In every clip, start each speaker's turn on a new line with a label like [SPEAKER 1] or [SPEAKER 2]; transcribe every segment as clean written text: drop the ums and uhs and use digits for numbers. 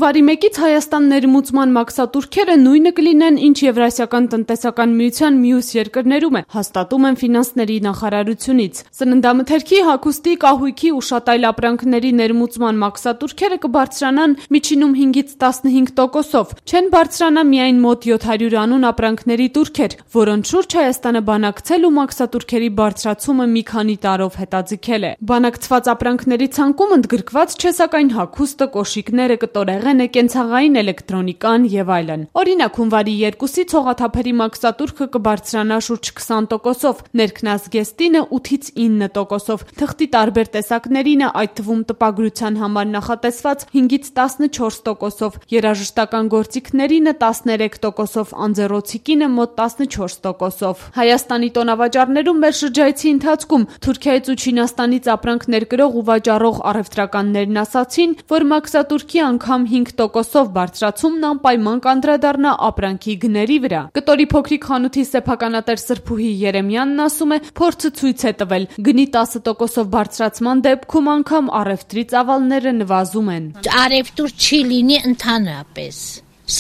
[SPEAKER 1] Հունվարի 1-ից Հայաստան ներմուծման մաքսատուրքերը նույնը կլինեն, ինչ Եվրասիական տնտեսական միության մյուս երկրներում է, հաստատում են ֆինանսների նախարարությունից։ Սննդամթերքի, հագուստի, կահույքի ու շատ այլ ապրանքների ներմուծման մաքսատուրքերը կբարձրանան միջինում 5-ից 15%-ով։ Չեն բարձրանա միայն մոտ 700 անուն ապրանքների տուրքեր, որոնց շուրջ Հայաստանը բանակցել ու մաքսատուրքերի բարձրացումը մի քանի տարով հետաձգել է։ Բանակցված ապրանքների ցանկում ընդգրկված չէ սակայն հագուստը, կոշիկները, կտորեղենը, կենցաղային էլեկտրոնիկան եւ այլն։ Օրինակ, հունվարի 2-ից հողաթափերի մաքսատուրքը կբարձրանա շուրջ 20%-ով, ներքնազգեստինը 8-ից 9%-ով, թղթի տարբեր տեսակներինը, այդ թվում տպագրության համար նախատեսված 5-ից 14%-ով, երաժշտական գործիքներինը 13%-ով, անձեռոցիկինը մոտ 14%-ով։ Հայաստանի տոնավաճառներում մեր շրջայցի ընթացքում Թուրքիայից ու Չինաստանից ապրանք ներկրող ու վաճառող առևտրականներն ասացին, որ մաքսատուրքի անգամ 5%-ով բարձրացումն անպայման կանդրադառնա ապրանքի գների վրա։ Կտորի փոքրիկ խանութի սեփականատեր Սրփուհի Երեմյանն ասում է, փորձը ցույց է տվել, գնի 10%-ով բարձրացման դեպքում անգամ առևտրի ծավալները նվազում են։
[SPEAKER 2] Առևտուր չի լինի ընդհանրապես,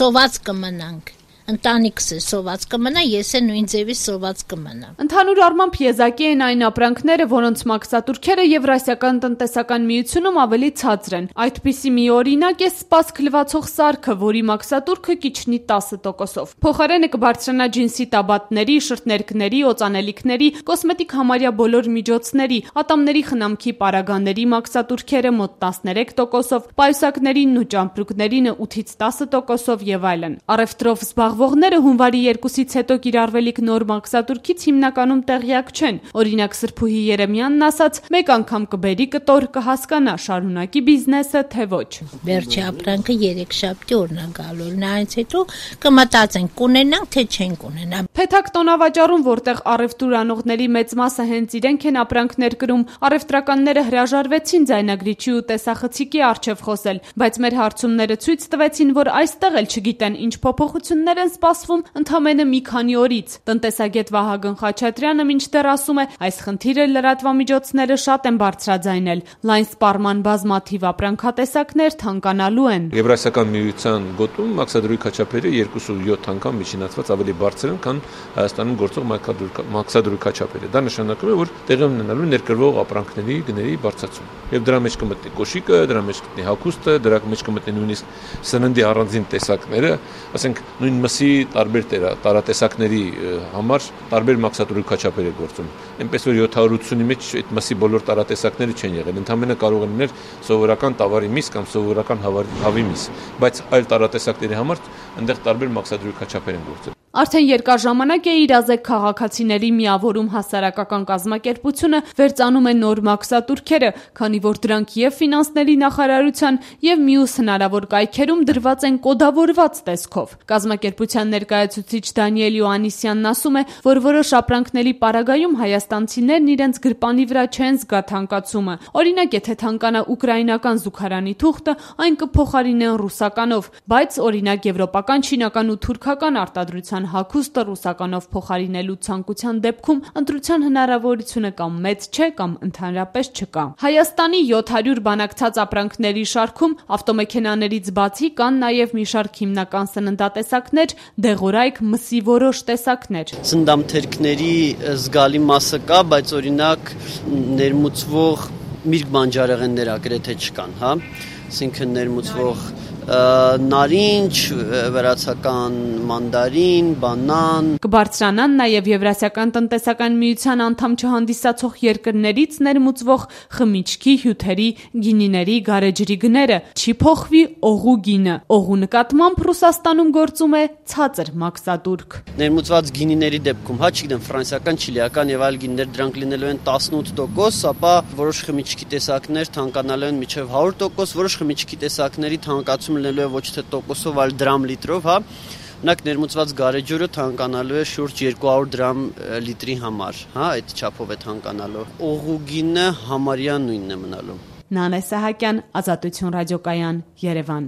[SPEAKER 2] սոված կմնանք։ Ընտանիքս է սոված կմնա, ես է նույն ձևի սոված կմնա։
[SPEAKER 1] Ընդհանուր առմամբ եզակի են այն ապրանքները, որոնց մաքսատուրքերը Եվրասիական տնտեսական միությունում ավելի ցածր են։ Այդպիսի մի օրինակ է սպասք լվացող սարքը, որի մաքսատուրքը կիջնի 10%-ով։ Փոխարենը կբարձրանա ջինսի տաբատների, շրթներքների, օծանելիքների, կոսմետիկ համարյա բոլոր միջոցների, ատամների խնամքի պարագաների մաքսատուրքերը մոտ 13%-ով, պայուսակներինն ու ճամպրուկներինը 8-ից 10%-ով եւ այլն։ Առևտրով զբաղվողները հունվարի 2-ից հետո կիրառվելիք նոր մաքսատուրքից հիմնականում տեղյակ չեն։ Օրինակ Սրփուհի Երեմյանն ասաց, մեկ անգամ կբերի կտոր, կհասկանա շարունակի բիզնեսը, թե ոչ։
[SPEAKER 2] Վերջի ապրանքը 3 շաբթի օրն է գալու, նրանից հետո կմտածենք կունենանք, թե չենք ունենա։
[SPEAKER 1] Փեթակ տոնավաճառում, որտեղ առևտուր անողների մեծ մասը հենց իրենք են ապրանքներ կրում, առևտրականները հրաժարվեցին ձայնագրիչի ու տեսախցիկի առջև խոսել, բայց մեր հարցումները ցույց տվեցին, որ այստեղ էլ չգիտեն ինչ փոփոխություններ են սպասվում ընդամենը մի քանի օրից։ Տնտեսագետ Վահագն Խաչատրյանը մինչդեռ ասում է, այս խնդիրը լրատվամիջոցները շատ են բարձրաձայնել, լայն սպառման բազմաթիվ ապրանքատեսակներ թանկանալու են։
[SPEAKER 3] Եվրասիական միության գոտում մաքսատուրքի քաչափերը 2.7 անգամ միջինացված ավելի բարձր են, քան Հայաստանում գործող մաքսատուրքի քաչափերը։ Դա նշանակում է, որ տեղի ունենալու ներկրվող ապրանքների գների բարձրացում։ Եվ դրա մեջ կմտնի կոշիկը, դրա մեջ կմտնի հագուստը, դրա մեջ կմտնի նույնիսկ սննդի առանձին տեսակները, ասենք նույն մսի տարբեր տարատեսակների համար տարբեր մաքսատուրքի քաչափեր է գործում։ Այնպես որ 780-ի մեջ այդ մսի բոլոր տարատեսակները չեն եղել, ընդհանրապես կարող են լինել սովորական տավարի միս կամ սովորական հավի միս, բայց այլ տարատեսակների համար այնտեղ տարբեր մաքսատուրքի քաչափեր են գործել։
[SPEAKER 1] Արդեն երկար ժամանակ է իրազեկ քաղաքացիների միավորում հասարակական կազմակերպությունը վերծանում է նոր մաքսատուրքերը, քանի որ դրանք եւ ֆինանսների նախարարության եւ մյուս հնարավոր կայքերում դրված են կոդավորված տեսքով։ Կազմակերպության ներկայացուցիչ Դանիել Յոհաննիսյանն ասում է, որ որոշ ապրանքների պարագայում հայաստանցիներն իրենց գրպանի վրա չեն զգա թանկացումը։ Օրինակ, եթե թանկանա ուկրաինական զուգարանի թուղթը, այն կփոխարինեն ռուսականով, բայց օրինակ եվրոպական, չինական ու թուրքական արտադրության հագուստը ռուսականով փոխարինելու ցանկության դեպքում ընտրության հնարավորությունը կամ մեծ չէ, կամ ընդհանրապես չկա։ Հայաստանի 700 բանակցած ապրանքների շարքում ավտոմեքենաներից բացի կան նաև մի շարք հիմնական սննդատեսակներ, դեղորայք, մսի որոշ տեսակներ։
[SPEAKER 4] Սննդամթերքների զգալի մասը կա, բայց օրինակ ներմուծվող միրգ բանջարեղեններ ագրեթե չկան, հա, այսինքն ներմուծվող նարինջ, վրացական մանդարին, բանան։
[SPEAKER 1] Կբարձրանան նաև Եվրասիական տնտեսական միության անդամ չհանդիսացող երկրներից ներմուծվող խմիչքի, հյութերի, գինիների, գարեջրի գները։ Չի փոխվի օղու գինը։ Օղու նկատմամբ Ռուսաստանում գործում է ցածր մաքսատուրք։
[SPEAKER 4] Ներմուծված գինիների դեպքում, հա, չգիտեմ, ֆրանսիական, չիլիական եւ այլ գինիներ, դրանք լինելու են 18%, ապա որոշ խմիչքի տեսակներ թանկանալու են մինչեւ 100%, որոշ խմիչքի տեսակների թանկացում լինելու է ոչ թե տոկոսով, այլ դրամ լիտրով, հա։ Օրինակ ներմուծված գարեջուրը թանկանալու է շուրջ 200 դրամ լիտրի համար, հա, այդ չափով է թանկանալու։ Օղուգինը համարյա նույնն է մնալու։
[SPEAKER 1] Նանե Սահակյան, Ազատություն ռադիոկայան, Երևան։